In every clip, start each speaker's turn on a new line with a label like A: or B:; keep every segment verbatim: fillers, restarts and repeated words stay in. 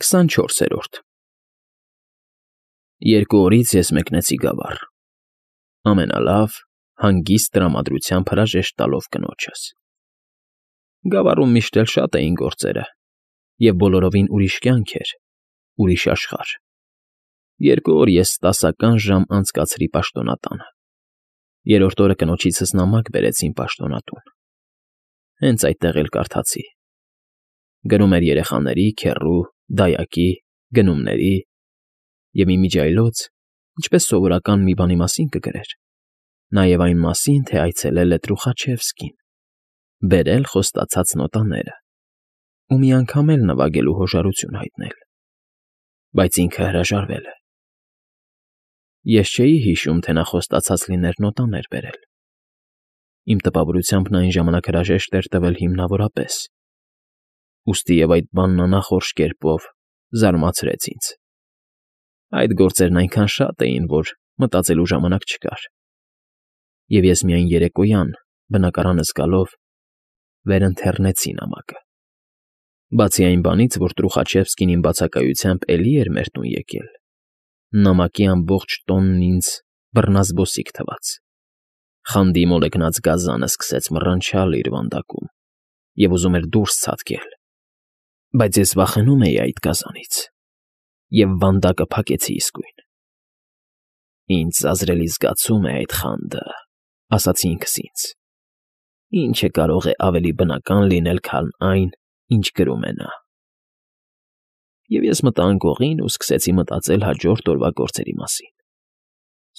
A: քսանչորսերորդ Երկու օրից ես մեկնեցի գավառ, ամենալավ, հանգիստ տրամադրությամբ հրաժեշտ տալով կնոջս. գավառում միշտ էլ շատ էին գործերը, և բոլորովին ուրիշ կյանք էր, ուրիշ աշխարհ. երկու օր ես տասական ժամ անցկացրի պաշտոնատանը, երրորդ օրը կնոջիցս նամակ բերեցին պաշտոնատուն, հենց այդտեղ էլ կարդացի. գրում էր երեխաների, քեռու, դայակի, գնումների և ի միջիայլոց, ինչպես սովորական մի բանի մասին կգրեր, նաև այն մասին, թե այցելել է Տրուխաչևսկին, բերել խոստացած նոտաները ու մի անգամ էլ նվագելու հոժարություն հայտնել, բայց ինքը հրաժարվել է. ես չէի հիշում, թե նա խոստացած լիներ նոտաներ բերել, իմ տպավորությամբ նա այն ժամանակ հրաժեշտ էր տվել հիմնավորապես, ուստի և այդ բանն անախորժ կերպով զարմացրեց ինձ. այդ գործերն այնքան շատ էին, որ մտածելու ժամանակ չկար, և ես միայն երեկոյան, բնակարանս գալով, վերընթեռնեցի նամակը, բացի այն բանից, որ Տրուխաչևսկին իմ բացակայությամբ էլի էր մեր տուն եկել, նամակի ամբողջ տոնն ինձ բռնազբոսիկ թվաց, խանդի մոլեգնած գազանը սկսեց մռնչալ իր վանդակում և ուզում էր դուրս ցատկել, բայց ես վախենում էի այդ գազանից և վանդակը փակեցի իսկույն։ «Ինձ զազրելի զգացում է այդ խանդը», ասացի ինքս ինձ, «ինչը կարող է ավելի բնական լինել, քան այն, ինչ գրում է նա»։ Եվ ես մտա անկողին ու սկսեցի մտածել հաջորդ օրվա գործերի մասին.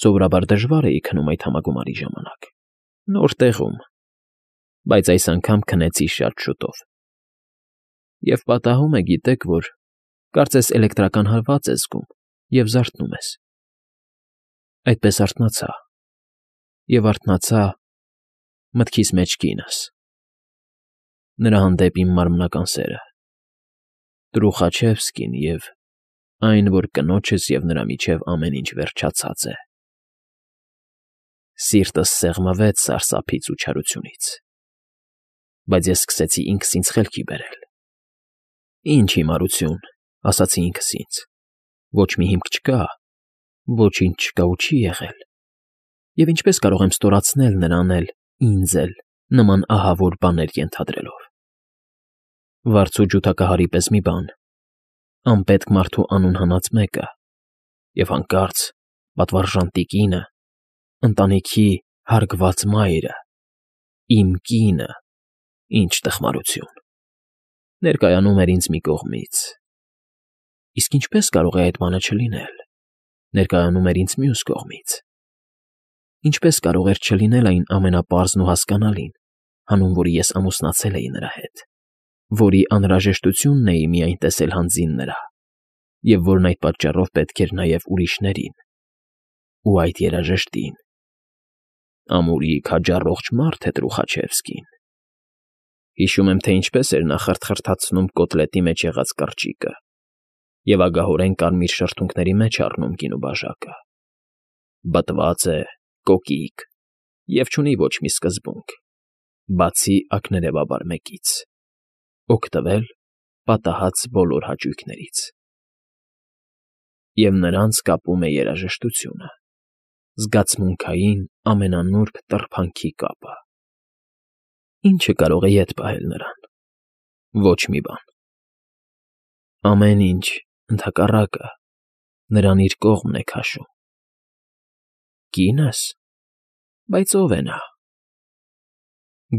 A: սովորաբար դժվար էի քնում այդ համագումարի ժամանակ, նոր տեղում, բայց այս անգամ քնեցի շատ շուտով։ Եվ պատահում է, գիտեք որ, կարծես էլեկտրական հարված ես զգում և զարթնում ես։ Այդպես արթնացա, և արթնացա մտքիս մեջ կինս, նրա հանդեպ իմ մարմնական սերը, Տրուխաչևսկին և այն, որ կնոջս և նրա միջև ամեն ինչ վերջացած է։ Սիրտս սեղմվեց սարսափից ու չարությունից, բայց ես սկսեցի ինքս ինձ խելքի բերել. «Ինչ հիմարություն», ասացի ինքս ինձ, «ոչ մի հիմք չկա, ոչինչ չկա ու չի եղել, և ինչպես կարող եմ ստորացնել նրան էլ, ինձ էլ, նման ահավոր բաներ ենթադրելով։ Վարձու ջութակահարի պես մի բան, անպետք մարդու անուն հանած մեկը, և հանկարծ պատվարժան տիկինը, ընտանիքի հարգված մայրը, իմ կինը, ինչ տխմարություն, ներկայանում էր ինձ մի կողմից, իսկ ինչպես կարող է այդ բանը չլինել, ներկայանում էր ինձ մյուս կողմից, ինչպես կարող էր չլինել այն ամենապարզն ու հասկանալին, հանուն որի ես ամուսնացել էի նրա հետ, որի անհրաժեշտությունն էի միայն տեսել հանձին նրա, և որն այդ պատճառով պետք էր նաև ուրիշներին, ու այդ երաժշտին։ Ամուրի քաջառողջ մարդ է Տրուխաչևսկին։ Հիշում եմ, թե ինչպես էր նա խրթխրթացնում կոտլետի մեջ եղած կրճիկը և ագահորեն կարմիր շրթունքների մեջ առնում գինու բաժակը։ Բտված է, կոկիկ և չունի ոչ մի սկզբունք, բացի ակներևաբար մեկից՝ օգտվել պատահած բոլոր հաճույքներից։ Եվ նրանց կապում է երաժշտությունը, զգացմունքային ամենանուրբ տրբանքի կապը։ Ի՞նչը կարող է ետ պահել նրան։ Ոչ մի բան։ Ամեն ինչ, ընդհակառակը, նրան իր կողմն է քաշում։ Կի՞նս, բայց ո՞վ է նա։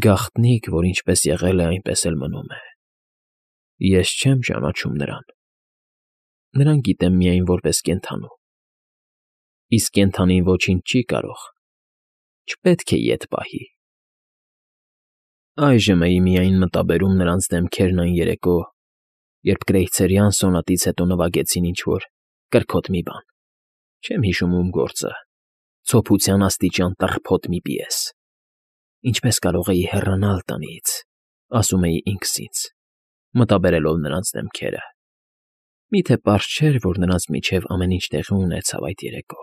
A: Գաղտնիք, որ ինչպես եղել է, այնպես էլ մնում է։ Ես չեմ ճանաչում նրան։ Նրան գիտեմ միայն որպես կենդանու, իսկ կենդանին ոչինչ չի կարող, չպետք է ետ պահի։ Այժմ էի միայն մտաբերում նրանց դեմքերն այն երեկո, երբ կրեյցերյան սոնատից հետո նվագեցին ինչ֊որ կրքոտ մի բան, չեմ հիշում ում գործը, ցոփության աստիճան տռփոտ մի պիես։ Ինչպես կարող էի հեռանալ տնից, ասում էի ինքս ինձ, մտաբերելով նրանց դեմքերը։ Մի՞թե պարզ չէր, որ նրանց միջև ամեն ինչ տեղի ունեցավ այդ երեկո,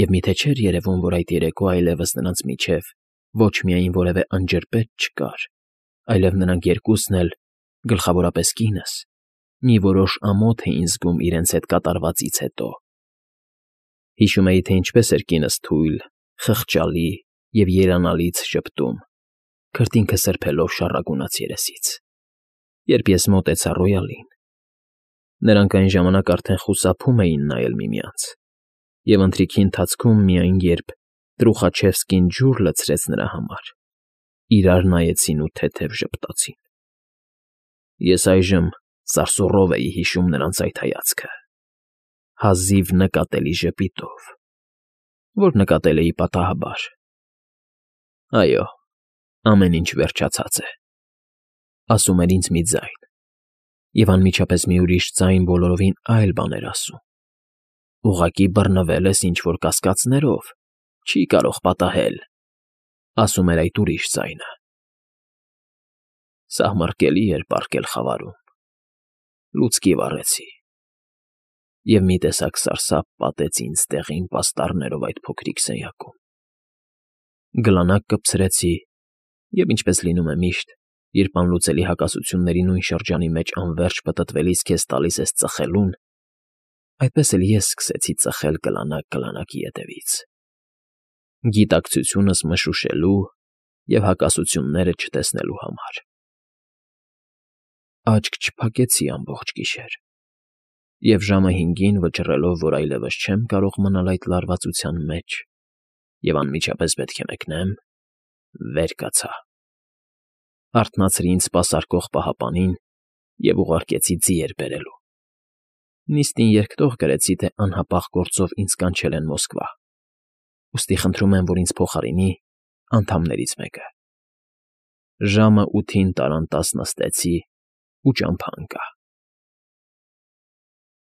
A: և մի՞թե չէր երևում, որ այդ երեկո այլևս նրանց միջև ոչ միայն որևէ անջրպետ չկար, այլև նրանք երկուսն էլ, գլխավորապես կինս, Մի որոշ ամոթ էին զգում իրենց հետ կատարվածից հետո։ Հիշում էի, թե ինչպես էր կինս թույլ, խղճալի և երանալից ժպտում, քրտինքը սրբելով շառագունած երեսից, երբ ես մոտեցա Ռոյալին։ Նրանք այն ժամանակ արդեն խուսափում էին նայել միմյանց, և ընթրիքի ընթացքում միայն երբ Տրուխաչևսկին ջուր լցրեց նրա համար, իրար նայեցին ու թեթև ժպտացին։ Ես այժմ սարսուռով էի հիշում նրանց այդ հայացքը, հազիվ նկատելի ժպիտով, որ նկատել էի պատահաբար։ «Այո, ամեն ինչ վերջացած է», ասում էր ինձ մի ձայն, և անմիջապես մի ուրիշ ձայն բոլորովին այլ բան էր ասում. «Ուղղակի բռնվել ես ինչ֊որ կասկածներով, չի կարող պատահել», ասում էր այդ ուրիշ ձայնը։ Սահմռկելի էր պառկել խավարում, լուցկի վառեցի, և մի տեսակ սարսափ պատեց ինձ դեղին պաստառներով այդ փոքրիկ սենյակում։ Գլանակ կպցրեցի և, ինչպես լինում է միշտ, երբ անլուծելի հակասությունների նույն շրջանի մեջ անվերջ պտտվելիս քեզ տալիս ես ծխելուն, այդպես էլ ես սկսեցի ծխել գլանակ գլանակի ետևից, գիտակցությունս մշուշելու և հակասությունները չտեսնելու համար։ Աչք չփակեցի ամբողջ գիշեր, և ժամը հինգին վճռելով, որ այլևս չեմ կարող մնալ այդ լարվածության մեջ և անմիջապես պետք է մեկնեմ, վեր կացա, արթնացրի ինձ սպասարկող պահապանին և ուղարկեցի ձիեր բերելու։ Նիստին երկտող գրեցի, թե անհապաղ գործով ինձ կանչել են Մոսկվա, ուստի խնդրում եմ, որ ինձ փոխարինի անդամներից մեկը։ Ժամը ութին տարան տաս նստեցի ու ճամփա ընկա։